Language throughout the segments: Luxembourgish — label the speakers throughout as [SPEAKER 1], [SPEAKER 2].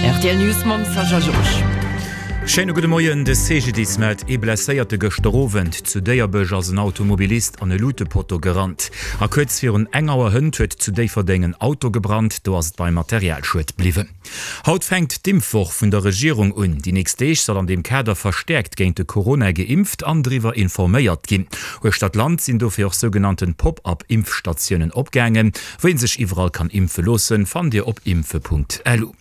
[SPEAKER 1] Rtl News mam Sascha Georges.
[SPEAKER 2] Schéine gudde Moien, De CGDIS mellt ee Blesséierte gëschter Owend. Zu Déierbech ass en Automobilist an e Lutepotto gerannt. A kuerz virun eng Auer hënt huet zu Déifferdeng en Auto gebrannt. Do ass et beim Materialschued bliwwen. Haut fänkt d'Impfwoch vun der Regierung un. Déi nächst Deeg soll an deem Kader verstäerkt géint de Corona geimpft an driwwer informéiert ginn. Uechter d'Land sinn dofir och sougenannten Pop-up-Impfstatiounen opgaangen. Wou ee sech iwwerall kann impfe loossen, fannt Dir op impfe.lu.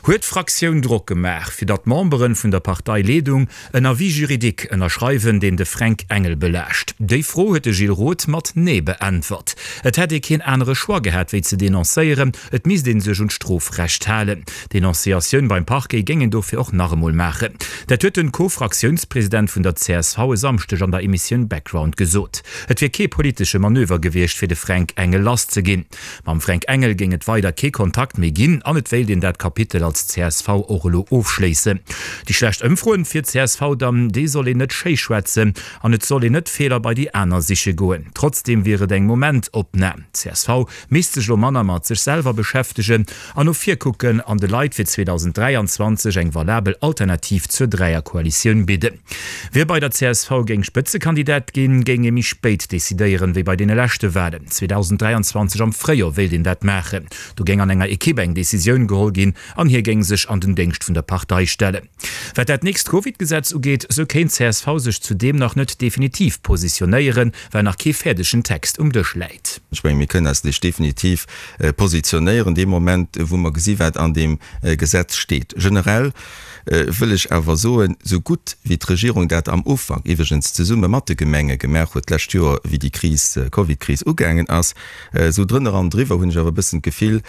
[SPEAKER 2] Huet d'Fraktioun Drock gemaach, fir datt d'Memberen vun der Parteileedung en Avis juridique ënnerschreiwen, deen de Fränk Engel belaascht? Déi Fro huet de Gilles Roth mat Nee beäntwert. Et hätt ee keen anere Choix gehat, wéi ze denoncéieren, et misst ee sech un d'Strofrecht halen. D'Denonciatioun beim Parquet géing een dofir och nach emol maachen. Dat huet den Co-Fraktiounspresident vun der csv e Samschdeg an der Emissioun Background gesot. Et wier kee politesche Manöver gewiescht, fir de Fränk Engel lasszeginn. Mam Fränk Engel géing et weider kee Kontakt méi ginn an et wéilt een dat Kapitel als csv och elo ofschléissen. Déi schlecht Ëmfroen fir csv dann, déi soll een net schéi schwätzen an et soll een net Feeler bei déi aner siche goen. Trotzdeem wier et eng Momentopnam. Csv misst sech elo manner mat sech selwer beschäftegen an no vir kucken an de Leit fir 2023 eng valabel Alternativ zur Dräierkoalitioun bidden. Wie bei der csv géing Spëtzekandidat ginn, géing ee méi spéit decidéieren, wéi bei deene leschte Walen. 2023 am Fréijoer wéilt een dat maachen. Do géing an enger Ekipp eng Decisioun geholl ginn an hie géing sech an den Déngscht vun der Partei stellen. Wat dat nächst Covid-Gesetz ugeet, sou kéint csv sech zudeem nach net definitiv positionéieren, well nach kee fäerdegen Text um Dësch läit.
[SPEAKER 3] Ech mengen, mir kënnen eis lech definitiv positionéieren dee Moment, wou mer gesi wat an deem Gesetz steet. Generell wëll ech awer soen, esou gutt wéi d'Regierung dat am Ufank, iwwregens zesumme mat de Gemenge gemaach huet d'lescht Joer, wéi déi Kris, Covid-Kris ugaangen ass, esou drënner an driwwer hunn ech awer e bëssen d'Gefill,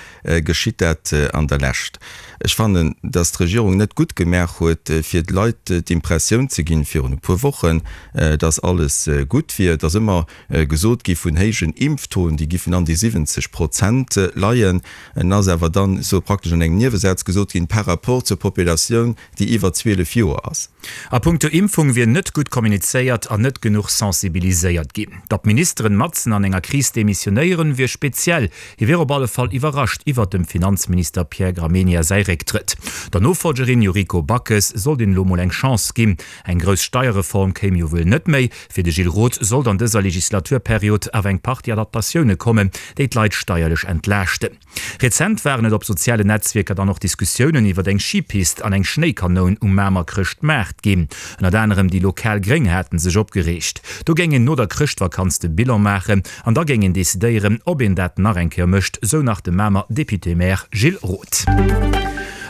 [SPEAKER 3] geschitt dat an der Lescht. Ech fannen, dass d'Regierung net gutt gemaach huet, fir de Leit d'Impressioun ze ginn, virun e puer Wochen, dass alles gutt wier. Et ass ëmmer gesot gi vun héijen Impftoen, déi giffen an déi 70 Prozent leien. En ass awer dann esou praktesch an engem Niewesaz gesot ginn, par rapport zur Populatioun, déi iwwer 12 Joer ass.
[SPEAKER 2] A punkto Impfung wier net gutt kommunizéiert an net genuch sensibiliséiert ginn. Datt Ministeren matzen an enger Kris demissionéieren, wier speziell. Hie wier op alle Fall iwwerrascht iwwert dem Finanzminister Pierre Gramegna säi Récktrëtt. Der Nofollgerin Yuriko Backes sollt een elo mol eng Chance ginn. Eng grouss Steierreform kéim jo wuel net méi. Fir de Gilles Roth sollt an dëser Legislaturperiod awer eng Partie Adaptatioune kommen, déi d'Leit steierlech entlaaschten. Rezent waren et op sozialen Netzwierker dann och Diskussiounen iwwer eng Schipist an eng Schnéikanoun um Mamer Chrëschtmaart ginn. Ënnert anerem déi lokal Gréng haten sech opgereegt. Do géing een no der Chrëschtvakanz de Bilan maachen an da géing een decidéieren, ob een dat nach eng Kéier mécht, sou nach de Mamer Député-Maire Gilles Roth.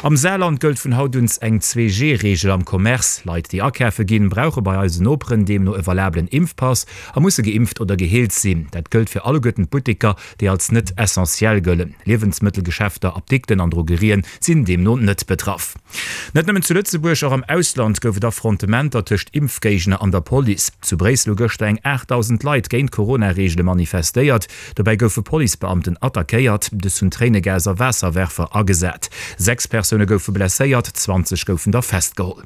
[SPEAKER 2] Am Saarland gëllt vun haut un eng 2G-Reegel am Commerce. Leit, déi akafe ginn, brauche bei eisen Noperen deemno e valabelen Impfpass a musse geimpft oder geheelt sinn. Dat gëllt fir alleguerten d'Butteker, déi als net essentiell gëllen. Liewensmëttelgeschäfter, Apdikten an Drogerien sinn deemno net betraff. Net nëmmen zu Lëtzebuerg, och am Ausland gouf et Affrontementer tëscht Impfgéigner an der Police. Zu Bréissel hu gëschter eng 8.000 Leit géint d'Corona-Reegele manifestéiert. Dobäi goufe Policebeamten attackéiert, dës hunn Tréinegas a Waasserwerfer agesat. 6 Persoune goufe blesséiert, 20 goufen der festgeholl.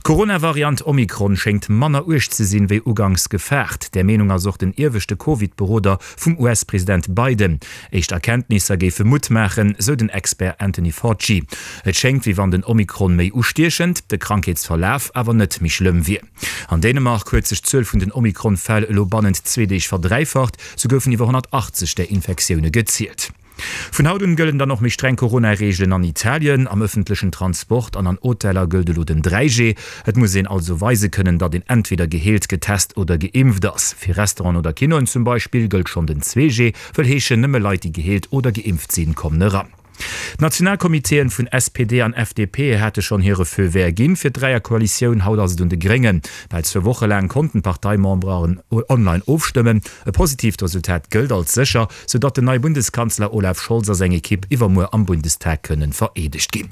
[SPEAKER 2] D'Corona-Variant Omikron schéngt manner uerg ze sinn, wéi uganks gefaart. Där Meenung ass och den ieweschte Covid-Beroder vum US-President Biden. Éischt Erkenntnisser géife Mutt maachen, sou den Expert Anthony Fauci. Et schéngt, wéi wann den Omikron méi ustiechend, de Krankheetsverlaf awer net méi schlëmm wier. An Dänemark huet sech d'Zuel vun den Omikron-Fäll elo bannent zwee Deeg verdräifacht, sou goufen iwwer 180 där Infektioune gezielt. Vun haut un gëllen dann och méi streng Corona-Reegelen an Italien. Am ëffentlechen Transport an an Hoteller gëllt elo den 3G. Et muss een also weise kënnen, datt een entweder geheelt, getest oder geimpft ass. Fir Restauranten oder Kinoen zum Beispill gëllt schonn den 2G, wëll heeschen, nëmme Leit, déi geheelt oder geimpft sinn, kommen eran. D'Nationalcomitéen vun SPD an FDP hate schonn hire Feu vert ginn fir d'Dräierkoalitioun. Haut ass et un de Gréngen. Bal zwou Woche laang konnten d'Parteimemberen online ofstëmmen. E positiivt Resultat gëllt als sécher, sou datt den neie Bundeskanzler Olaf Scholz a seng Ekipp iwwermuer am Bundestag kënnen vereedegt ginn.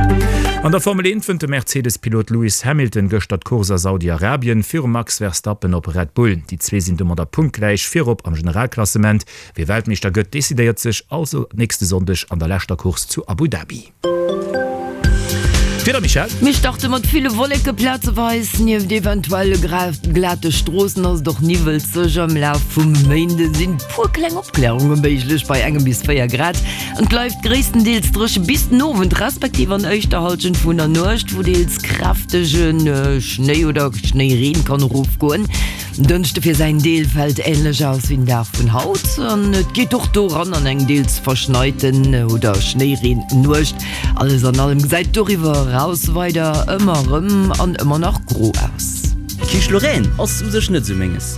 [SPEAKER 2] An der Formel 1 wënnt de Mercedes-Pilot Lewis Hamilton gëschter d'Course a Saudi-Arabien virum Max Verstappen op Red Bull. Déi zwee sinn domadder punktgläich virop am Generalklassement. Wie Weltmeeschter gëtt, decidéiert sech also nächste Sonndeg an der leschter Course zu Abu Dhabi. D'Wieder, Michèle?
[SPEAKER 1] Mir starte mat ville Wolleke plazeweis. Nieft eventuelle glate Stroossen ass et och niwwelzeg. Am Laf vum Méinde sinn puer kleng Opklärunge méiglech bei engem bis 4 Grad. Et bleift gréisstendeels dréche bis den Owend, respektiv an éischter Hallschent vun der Nuecht, wou deels kräftege Schnéi oder Schnéireen kann erofgoen. Den Dënschde fir säin Deel fält änlech aus wéi den Dag vun haut an et geet och do eran an eng deels verschneiten oder Schnéireen-Nuecht. Alles an allem gesäit doriwwer eraus weider ëmmer erëm an ëmmer nach gro aus.
[SPEAKER 4] Quiche Lorraine ass u sech net sou menges.